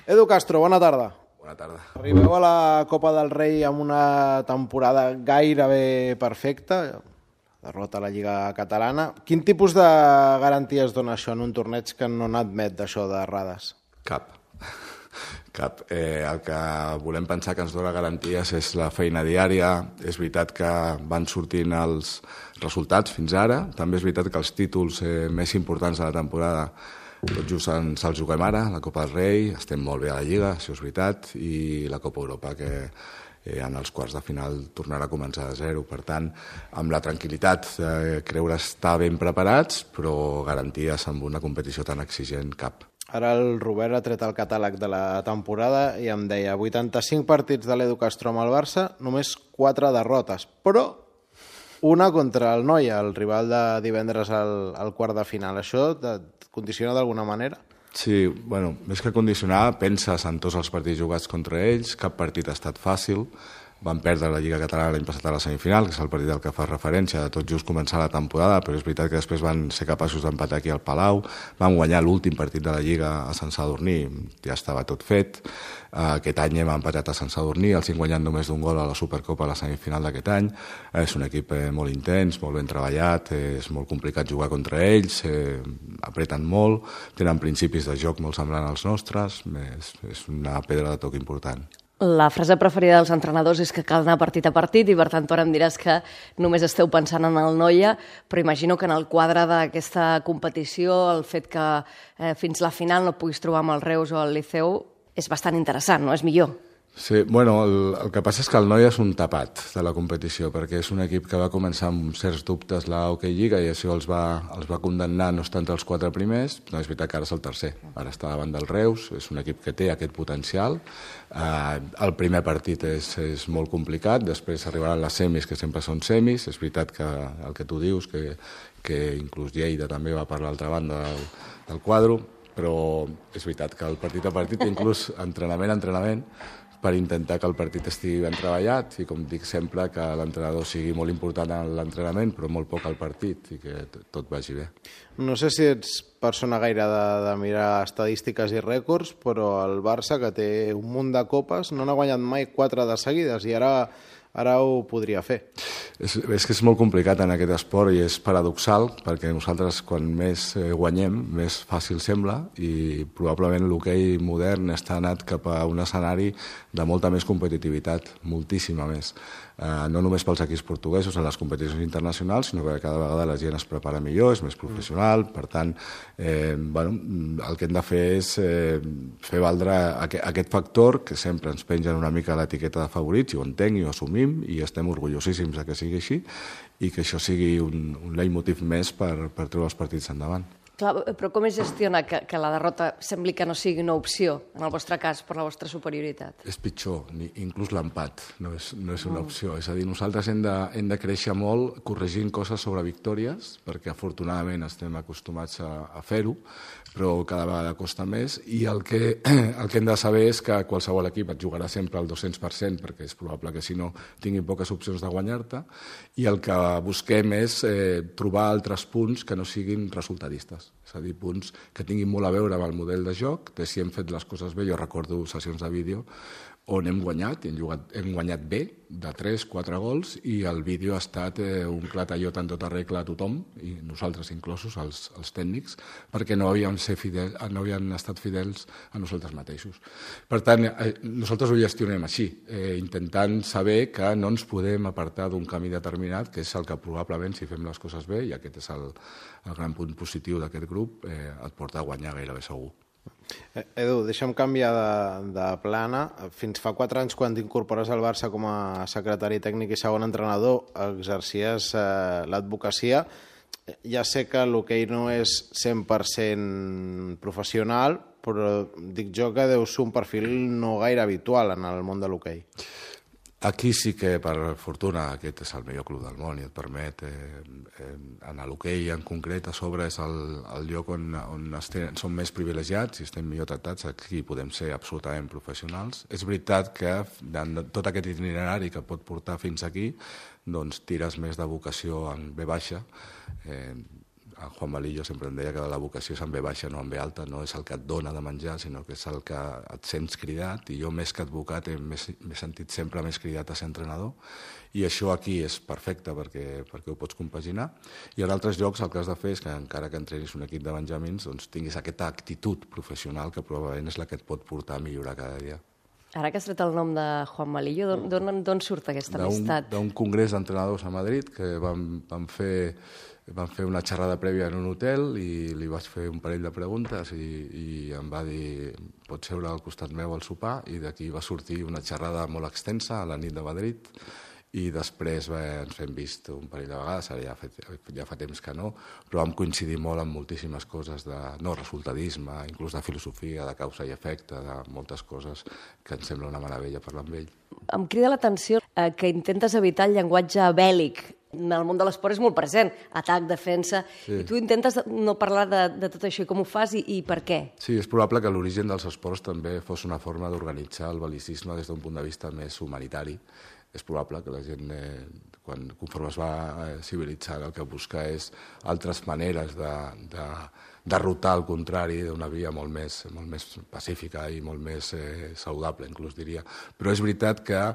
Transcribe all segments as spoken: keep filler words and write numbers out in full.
Edu Castro, bona tarda. Bona tarda. Arribeu a la Copa del Rei amb una temporada gairebé perfecta, derrota a la Lliga Catalana. Quin tipus de garanties dona això en un torneig que no n'admet d'això d'errades? Cap. Cap. Eh, el que volem pensar que ens dona garanties és la feina diària. És veritat que van sortint els resultats fins ara. També és veritat que els títols eh, més importants de la temporada tot just ens els juguem ara, la Copa del Rei, estem molt bé a la Lliga, això és veritat, i la Copa Europa, que eh, en els quarts de final tornarà a començar de zero. Per tant, amb la tranquil·litat de creure estar ben preparats, però garanties amb una competició tan exigent, cap. Ara el Robert ha tret el catàleg de la temporada i em deia vuitanta-cinc partits de l'Edu Castro amb el Barça, només quatre derrotes, però una contra el Noia, el rival de divendres al, al quart de final. Això et condiciona d'alguna manera? Sí, bueno, més que condicionar, penses en tots els partits jugats contra ells, cap partit ha estat fàcil. Van perdre la Lliga Catalana l'any passat a la semifinal, que és el partit al que fa referència, de tot just començar la temporada, però és veritat que després van ser capaços d'empatar aquí al Palau, van guanyar l'últim partit de la Lliga a Sant Sadurní, ja estava tot fet. Aquest any hem empatat a Sant Sadurní, els cinc guanyant només d'un gol a la Supercopa a la semifinal d'aquest any. És un equip molt intens, molt ben treballat, és molt complicat jugar contra ells, eh, apreten molt, tenen principis de joc molt semblants als nostres, és, és una pedra de toc important. La frase preferida dels entrenadors és que cal anar partit a partit i per tant tu ara em diràs que només esteu pensant en el Noia, però imagino que en el quadre d'aquesta competició el fet que eh, fins la final no puguis trobar amb el Reus o el Liceu és bastant interessant, no? És millor. Sí, bueno, el, el que passa és que el Noia és un tapat de la competició, perquè és un equip que va començar amb certs dubtes la Hockey Lliga i això els va, els va condemnar no estar entre els quatre primers, no és veritat que ara és el tercer, ara està davant del Reus, és un equip que té aquest potencial. Eh, el primer partit és, és molt complicat, després arribaran les semis, que sempre són semis, és veritat que el que tu dius, que, que inclús Lleida també va per l'altra banda del, del quadre, però és veritat que el partit a partit, inclús entrenament a entrenament, per intentar que el partit estigui ben treballat i, com dic sempre, que l'entrenador sigui molt important en l'entrenament, però molt poc al partit i que tot vagi bé. No sé si ets persona gaire de, de mirar estadístiques i rècords, però el Barça, que té un munt de copes, no n'ha guanyat mai quatre de seguides i ara, ara ho podria fer. És, és que és molt complicat en aquest esport i és paradoxal, perquè nosaltres quan més guanyem, més fàcil sembla, i probablement l'hoquei modern està anat cap a un escenari de molta més competitivitat, moltíssima més. Eh, no només pels equips portuguesos en les competicions internacionals, sinó que cada vegada la gent es prepara millor, és més professional, per tant, eh, bueno, el que hem de fer és eh, fer valdre aquest, aquest factor que sempre ens pengen una mica l'etiqueta de favorits, i ho entenc i ho assumim, i estem orgullosíssims de que sigui així, i que això sigui un, un leitmotiv més per, per treure els partits endavant. Clar, però com es gestiona que, que la derrota sembli que no sigui una opció, en el vostre cas, per la vostra superioritat? És pitjor, ni, inclús l'empat no és, no és una opció. Mm. És a dir, nosaltres hem de, hem de créixer molt corregint coses sobre victòries, perquè afortunadament estem acostumats a, a fer-ho, però cada vegada costa més, i el que, el que hem de saber és que qualsevol equip et jugarà sempre al dos-cents per cent, perquè és probable que si no tinguin poques opcions de guanyar-te, i el que busquem és eh, trobar altres punts que no siguin resultadistes. És a dir, punts que tinguin molt a veure amb el model de joc, de si hem fet les coses bé. Jo recordo sessions de vídeo on hem guanyat, hem, jugat, hem guanyat bé, de tres quatre gols, i el vídeo ha estat eh, un clatallot en tota regla a tothom, i nosaltres inclosos, els, els tècnics, perquè no havien, ser fidel, no havien estat fidels a nosaltres mateixos. Per tant, eh, nosaltres ho gestionem així, eh, intentant saber que no ens podem apartar d'un camí determinat, que és el que probablement, si fem les coses bé, i aquest és el, el gran punt positiu d'aquest grup, eh, et porta a guanyar gairebé segur. Edu, deixa'm canviar de, de plana. Fins fa quatre anys, quan t'incorpores al Barça com a secretari tècnic i segon entrenador, exercies eh, l'advocacia. Ja sé que l'hoquei no és cent per cent professional, però dic jo que deu ser un perfil no gaire habitual en el món de l'hoquei. Aquí sí que, per fortuna, aquest és el millor club del món i et permet, eh, eh, en l'hoquei en concret, a sobre és el, el lloc on, on estem, som més privilegiats i estem millor tractats, aquí podem ser absolutament professionals. És veritat que en tot aquest itinerari que pot portar fins aquí, doncs tires més de vocació en ve baixa, eh, en Juan Malillo sempre em deia que la vocació és en ve baixa, no en ve alta, no és el que et dona de menjar, sinó que és el que et sents cridat, i jo més que advocat m'he sentit sempre més cridat a ser entrenador, i això aquí és perfecte perquè, perquè ho pots compaginar. I en altres llocs el que has de fer és que encara que entrenis un equip de benjamins doncs tinguis aquesta actitud professional que probablement és la que et pot portar a millorar cada dia. Ara que has tret el nom de Juan Malillo, d'on surt aquesta amistat? D'un congrés d'entrenadors a Madrid que vam, vam, fer, vam fer una xerrada prèvia en un hotel i li vaig fer un parell de preguntes i, i em va dir pots seure al costat meu al sopar, i d'aquí va sortir una xerrada molt extensa a la nit de Madrid, i després bé, ens hem vist un parell de vegades, ara ja fa, ja fa temps que no, però vam coincidir molt en moltíssimes coses de no resultadisme, inclús de filosofia, de causa i efecte, de moltes coses que em sembla una meravella parlar amb ell. Em crida l'atenció eh, que intentes evitar el llenguatge bèl·lic. En el món de l'esport és molt present, atac, defensa, sí. I tu intentes no parlar de, de tot això, i com ho fas i, i per què? Sí, és probable que l'origen dels esports també fos una forma d'organitzar el bel·licisme des d'un punt de vista més humanitari. És probable que la gent, eh, quan, conforme es va eh, civilitzar, el que busca és altres maneres de, de derrotar el contrari d'una via molt més, molt més pacífica i molt més eh, saludable, inclús diria. Però és veritat que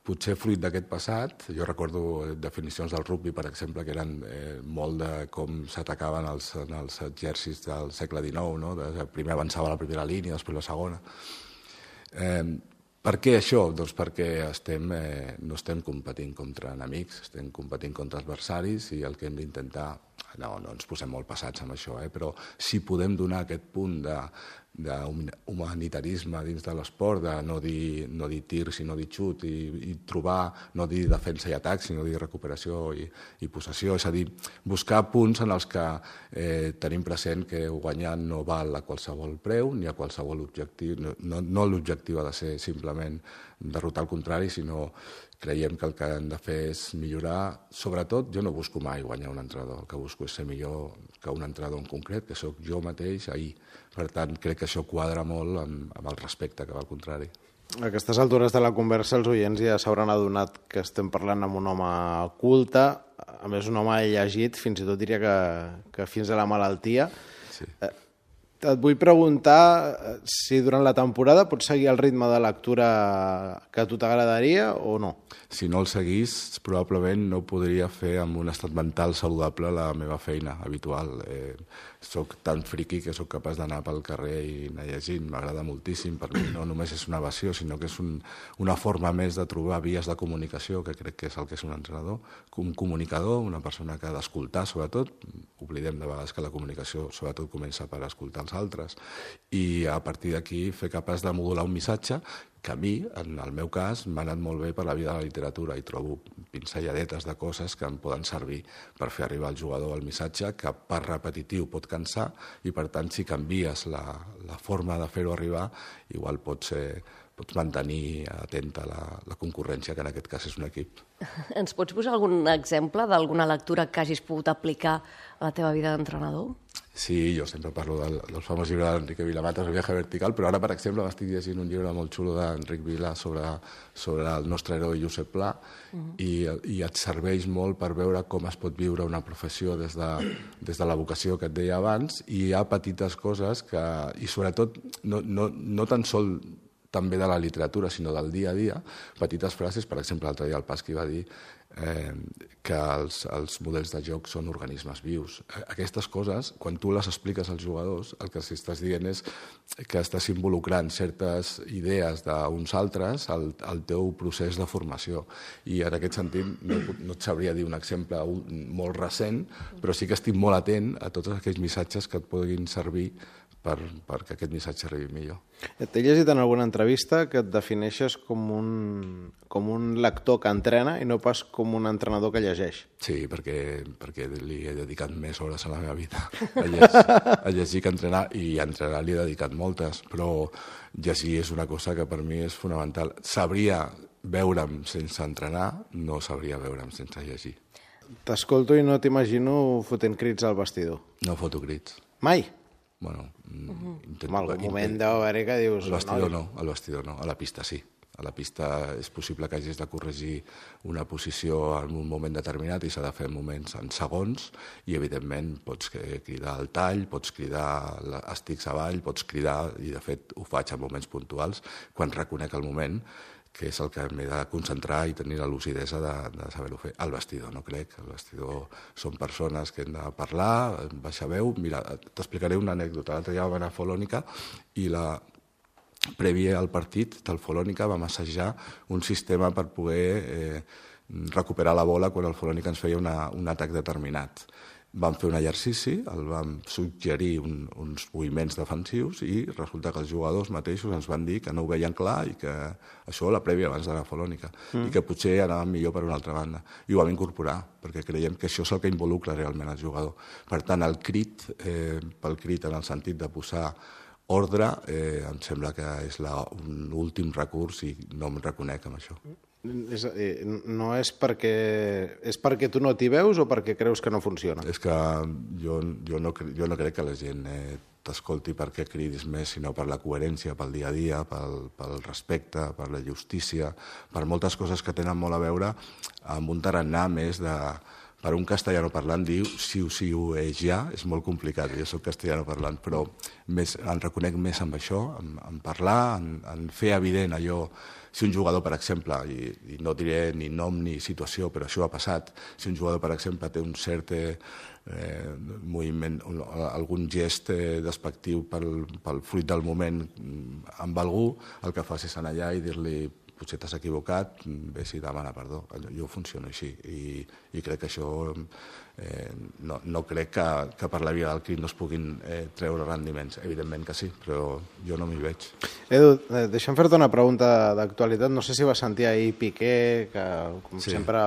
potser fruit d'aquest passat, jo recordo definicions del rugby, per exemple, que eren eh, molt de com s'atacaven els, els exèrcits del segle dinou, no? De, primer avançava la primera línia, després la segona. Eh, Per què això? Doncs perquè estem, eh, no estem competint contra enemics, estem competint contra adversaris, i el que hem d'intentar, no, no ens posem molt passats amb això, eh, però si podem donar aquest punt de, d'humanitarisme dins de l'esport, de no dir, no dir tir sinó dir xut, i, i trobar, no dir defensa i atac sinó dir recuperació i, i possessió, és a dir, buscar punts en els que eh, tenim present que guanyar no val a qualsevol preu ni a qualsevol objectiu, no, no, no l'objectiu ha de ser simplement derrotar el contrari, sinó creiem que el que hem de fer és millorar. Sobretot, jo no busco mai guanyar un entrenador, el que busco és ser millor que un entrenador en concret, que sóc jo mateix ahir. Per tant, crec que això quadra molt amb, amb el respecte que va al contrari. A aquestes altures de la conversa els oients ja s'hauran adonat que estem parlant amb un home culte, a més un home llegit, fins i tot diria que, que fins a la malaltia. Sí. Eh, Et vull preguntar si durant la temporada pots seguir el ritme de lectura que a tu t'agradaria o no? Si no el seguís, probablement no podria fer amb un estat mental saludable la meva feina habitual. Eh, soc tan friqui que sóc capaç d'anar pel carrer i anar llegint. M'agrada moltíssim. Per mi no només és una evasió, sinó que és un, una forma més de trobar vies de comunicació, que crec que és el que és un entrenador. Un comunicador, una persona que ha d'escoltar, sobretot. Oblidem de vegades que la comunicació sobretot comença per escoltar els altres, i a partir d'aquí fer capaç de modular un missatge que a mi, en el meu cas, m'ha anat molt bé per la vida de la literatura, i trobo pincelladetes de coses que em poden servir per fer arribar al jugador el missatge, que per repetitiu pot cansar, i per tant, si canvies la, la forma de fer-ho arribar, igual pots, eh, pots mantenir atenta la, la concurrència, que en aquest cas és un equip. Ens pots posar algun exemple d'alguna lectura que hagis pogut aplicar a la teva vida d'entrenador? Sí, jo sempre parlo del, del famós llibre d'Enrique Vilamatas, El viaje vertical, però ara, per exemple, m'estic llegint un llibre molt xulo d'Enric Vila sobre, sobre el nostre heroi Josep Pla, uh-huh. i, i et serveix molt per veure com es pot viure una professió des de, des de la vocació que et deia abans, i hi ha petites coses que, i sobretot, no, no, no tan sol també de la literatura, sinó del dia a dia, petites frases. Per exemple, l'altre dia el Pasqui va dir eh, que els, els models de joc són organismes vius. Aquestes coses, quan tu les expliques als jugadors, el que estàs dient és que estàs involucrant certes idees d'uns altres al, al teu procés de formació. I en aquest sentit no, no et sabria dir un exemple molt recent, però sí que estic molt atent a tots aquells missatges que et puguin servir per, perquè aquest missatge arribi millor. T'he llegit en alguna entrevista que et defineixes com un, com un lector que entrena i no pas com un entrenador que llegeix. Sí, perquè, perquè li he dedicat més hores a la meva vida a llegir, a llegir que a entrenar, i a entrenar li he dedicat moltes, però llegir és una cosa que per mi és fonamental. Sabria veure'm sense entrenar, no sabria veure'm sense llegir. T'escolto i no t'imagino fotent crits al vestidor. No foto crits. Mai? Bueno, uh-huh. intento, en algun moment deu haver-hi que dius... Al vestidor no, al vestidor no, a la pista sí. A la pista és possible que hagis de corregir una posició en un moment determinat i s'ha de fer en moments, en segons, i evidentment pots cridar al tall, pots cridar estics avall, pots cridar, i de fet ho faig en moments puntuals, quan reconec el moment, que és el que m'he de concentrar i tenir la lucidesa de, de saber-ho fer. Al vestidor, no crec. Al vestidor són persones que hem de parlar, baixar veu. Mira, t'explicaré una anècdota. L'altre dia vam anar a Folònica i la prèvia al partit del Folònica vam assajar un sistema per poder eh, recuperar la bola quan el Folònica ens feia una, un atac determinat. Vam fer un exercici, el vam suggerir un, uns moviments defensius i resulta que els jugadors mateixos ens van dir que no ho veien clar i que això la prèvia abans d'anar a Folònica mm. i que potser anàvem millor per una altra banda. I ho vam incorporar, perquè creiem que això és el que involucra realment el jugador. Per tant, el crit, eh, pel crit en el sentit de posar ordre, eh, em sembla que és la, un últim recurs i no em reconec amb això. És, eh, no és perquè, és perquè tu no t'hi veus o perquè creus que no funciona? És que jo, jo, no, jo no crec que la gent eh, t'escolti perquè cridis més, sinó per la coherència, pel dia a dia, pel, pel respecte, per la justícia, per moltes coses que tenen molt a veure amb un tarannà més de... Per un castellano parlant diu siu, siu, és ja, és molt complicat, jo soc castellano parlant, però més, em reconec més amb això, en, en parlar, en, en fer evident allò. Si un jugador, per exemple, i, i no diré ni nom ni situació, però això ha passat, si un jugador, per exemple, té un cert eh, moviment, un, algun gest eh, despectiu pel, pel fruit del moment amb algú, el que fas és anar allà i dir-li potser t'has equivocat, bé si demana perdó. Jo funciono així i, i crec que això eh, no, no crec que, que per la via del crit no es puguin eh, treure rendiments. Evidentment que sí, però jo no m'hi veig. Edu, eh, deixa'm fer-te una pregunta d'actualitat. No sé si vas sentir ahir Piqué, que com sí. sempre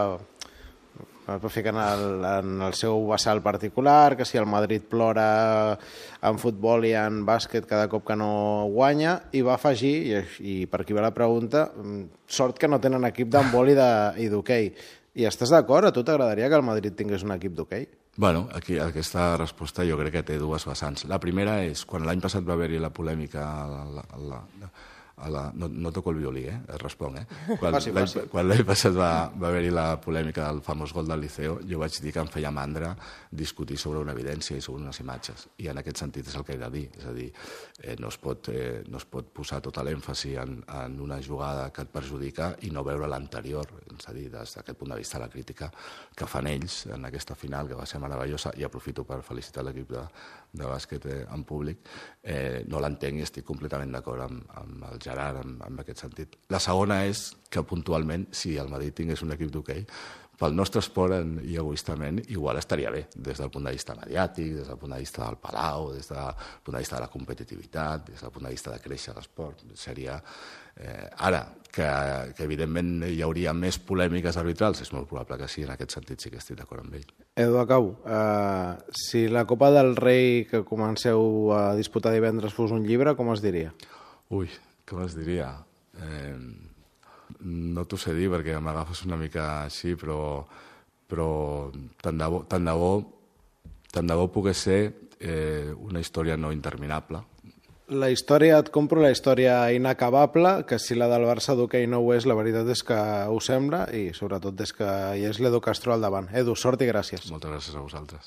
va ficar en el, en el seu vessal particular, que si el Madrid plora en futbol i en bàsquet cada cop que no guanya, i va afegir, i, i per aquí va la pregunta, sort que no tenen equip d'handbol i d'hoquei. I estàs d'acord? A tu t'agradaria que el Madrid tingués un equip d'hoquei? Bueno, aquí aquesta resposta jo crec que té dues vessants. La primera és, quan l'any passat va haver-hi la polèmica a la, a la, a la, no, no toco el violí, eh? Responc, eh? Quan l'any passat va, va haver-hi la polèmica del famós gol del Liceo, jo vaig dir que em feia mandra discutir sobre una evidència i sobre unes imatges. I en aquest sentit és el que he de dir. És a dir, eh, no, es pot, eh, no es pot posar tota l'èmfasi en, en una jugada que et perjudica i no veure l'anterior. És a dir, des d'aquest punt de vista, la crítica que fan ells en aquesta final, que va ser meravellosa, i aprofito per felicitar l'equip de, de bàsquet eh, en públic, eh, no l'entenc i estic completament d'acord amb, amb el Gerard en, en aquest sentit. La segona és que puntualment, si el Madrid tingués un equip d'hoquei, pel nostre esport en, i egoistament, igual estaria bé, des del punt de vista mediàtic, des del punt de vista del Palau, des del punt de vista de la competitivitat, des del punt de vista de créixer l'esport. Seria... Eh, ara, que, que evidentment hi hauria més polèmiques arbitrals, és molt probable que sí, en aquest sentit sí que estic d'acord amb ell. Edu, acabo. Uh, si la Copa del Rei que comenceu a disputar divendres fos un llibre, com es diria? Ui, com es diria? Eh, no t'ho sé dir perquè m'agafes una mica així, però, però tant de bo, tant de bo, tant de bo pogués ser eh, una història no interminable. La història, et compro la història inacabable, que si la del Barça d'hoquei no ho és, la veritat és que ho sembla, i sobretot és que hi és l'Edu Castro al davant. Edu, sort i gràcies. Moltes gràcies a vosaltres.